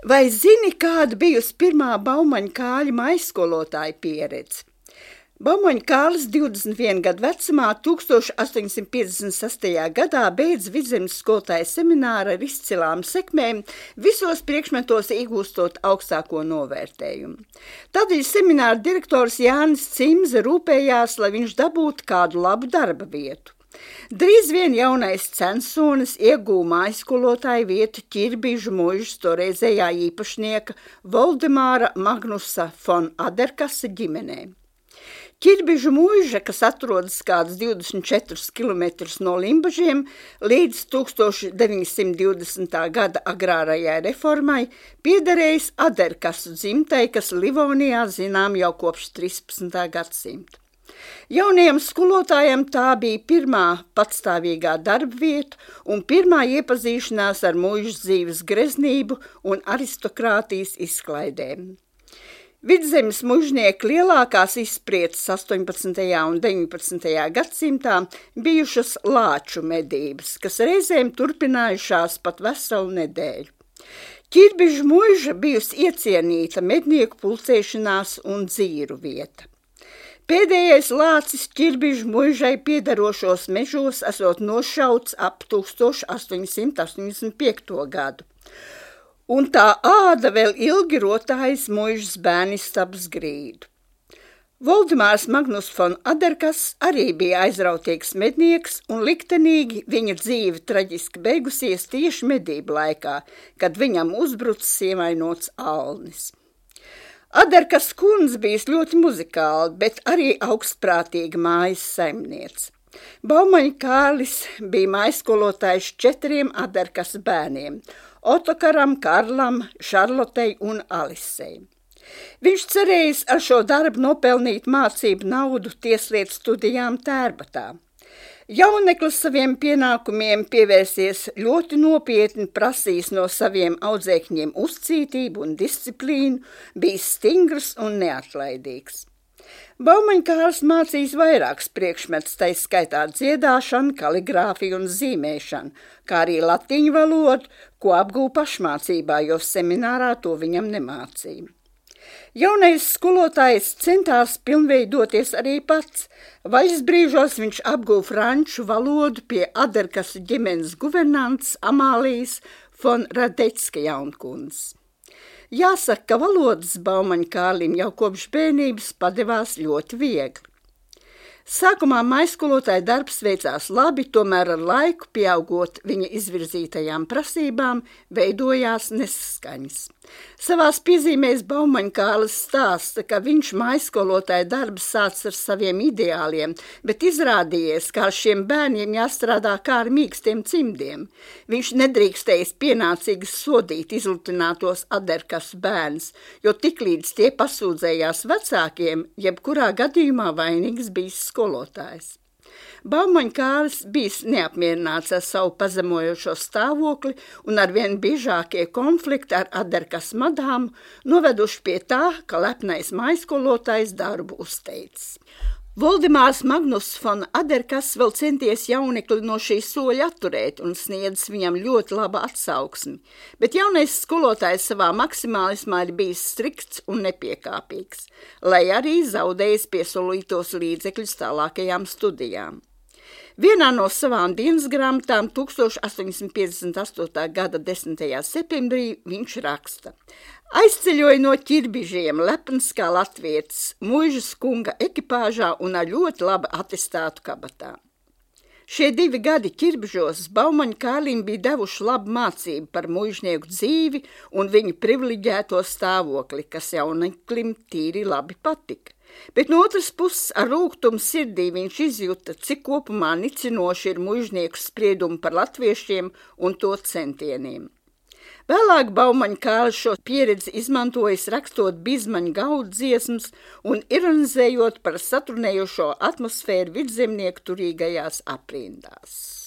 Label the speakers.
Speaker 1: Vai zini, kāda bijusi pirmā Baumaņa Kāļa maizskolotāja pieredze? Baumaņa Kālis 21 gadu vecumā 1856. gadā beidz vidzemes skolotāja semināru ar izcilām sekmēm, visos priekšmetos iegūstot augstāko novērtējumu. Tādēļ semināra direktors Jānis Cimze rūpējās, lai viņš dabūtu kādu labu darba vietu. Drīz vien jaunais censonis iegūja maizskolotāju vietu Ķirbižu muižas toreizējā īpašnieka Voldemāra Magnusa fon Aderkasa ģimenē. Ķirbižu muiža, kas atrodas kādus 24 kilometrus no Limbažiem, līdz 1920. gada agrārajai reformai piederējis Aderkasu dzimtai, kas Livonijā zinām jau kopš 13. gadsimta. Jaunajam skolotājam tā bija pirmā patstāvīgā darba vieta un pirmā iepazīšanās ar muižas dzīves greznību un aristokrātijas izklaidēm. Vidzemes muižnieki lielākās izspriedzes 18. un 19. gadsimtā bijušas lāču medības, kas reizēm turpinājušās pat veselu nedēļu. Ķirbižu muiža bijusi iecienīta mednieku pulcēšanās un dzīru vieta. Pēdējais lācis Ķirbižu muižai piederošos mežos esot nošauts ap 1885. gadu, un tā āda vēl ilgi rotājas muižas bērnistabas grīdu. Voldemārs Magnus fon Aderkas arī bija aizrautīgs mednieks, un liktenīgi viņa dzīve traģiski beigusies tieši medību laikā, kad viņam uzbrucis ievainots alnis. Aderkas kundze bijis ļoti muzikāla, bet arī augstprātīga mājas saimniece. Baumaņa Kārlis bija maizskolotājs 4 Aderkas bērniem – Otokaram, Karlam, Šarlotei un Alisei. Viņš cerējis ar šo darbu nopelnīt mācību naudu tieslietu studijām Tērbatā. Jauneklis saviem pienākumiem pievērsies ļoti nopietni, prasījis no saviem audzēkņiem uzcītību un disciplīnu, bijis stingrs un neatlaidīgs. Baumaņa Kārlis mācījis vairākus priekšmetus, tai skaitā dziedāšanu, kaligrāfiju un zīmēšanu, kā arī latiņu valodu, ko apgūva pašmācībā, jo seminārā to viņam nemācīja. Jaunais skolotājs centās pilnveidoties arī pats. Vaļas brīžos viņš apguva franču valodu pie Aderkasu ģimenes guvernantes Amālijas fon Radecka jaunkundzes. Jāsaka, ka valodas Baumaņa Kārlim jau kopš bērnības padevās ļoti viegli. Sākumā maizskolotāja darbs veicās labi, tomēr ar laiku, pieaugot viņa izvirzītajām prasībām, veidojās nesaskaņas. Savās piezīmēs Baumaņa Kārlis stāsta, ka viņš maizskolotāja darbs sācis ar saviem ideāliem, bet izrādījies, ka ar šiem bērniem jāstrādā kā ar mīkstiem cimdiem. Viņš nedrīkstējis pienācīgi sodīt izlutinātos Aderkasu bērnus, jo tiklīdz tie pasūdzējās vecākiem, jebkurā gadījumā vainīgs bijis skolotājs. Baumaņa Kārlis bijis neapmierināts ar savu pazemojošo stāvokli un arvien biežākie konflikti ar Aderkas madāmu noveduši pie tā, ka lepnais maizskolotājs darbu uzteicis. Voldemārs Magnus fon Aderkas vēl centies jaunekli no šī soļa atturēt un sniedzis viņam ļoti laba atsauksmi, bet jaunais skolotājs savā maksimālismā ir bijis strikts un nepiekāpīgs, lai arī zaudējis piesolītos līdzekļus tālākajām studijām. Vienā no savām dienas grāmatām 1858. gada 10. septembrī viņš raksta: Aizceļoja no Ķirbižiem lepns kā latvietis, muižas kunga ekipāžā un ar ļoti labi atestātu kabatā. Šie 2 gadi Ķirbižos Baumaņa Kārlim bija devuši labu mācību par muižnieku dzīvi un viņu privileģēto stāvokli, kas jauneklim tīri labi patika. Bet no otras puses ar rūgtumu sirdī viņš izjuta, cik kopumā nicinoši ir muižnieku spriedumi par latviešiem un to centieniem. Vēlāk Baumaņa Kārlis šo pieredzi izmantojis rakstot bizmaņu gaudu dziesmas un ironizējot par saturnējošo atmosfēru vidzemnieku turīgajās aprindās.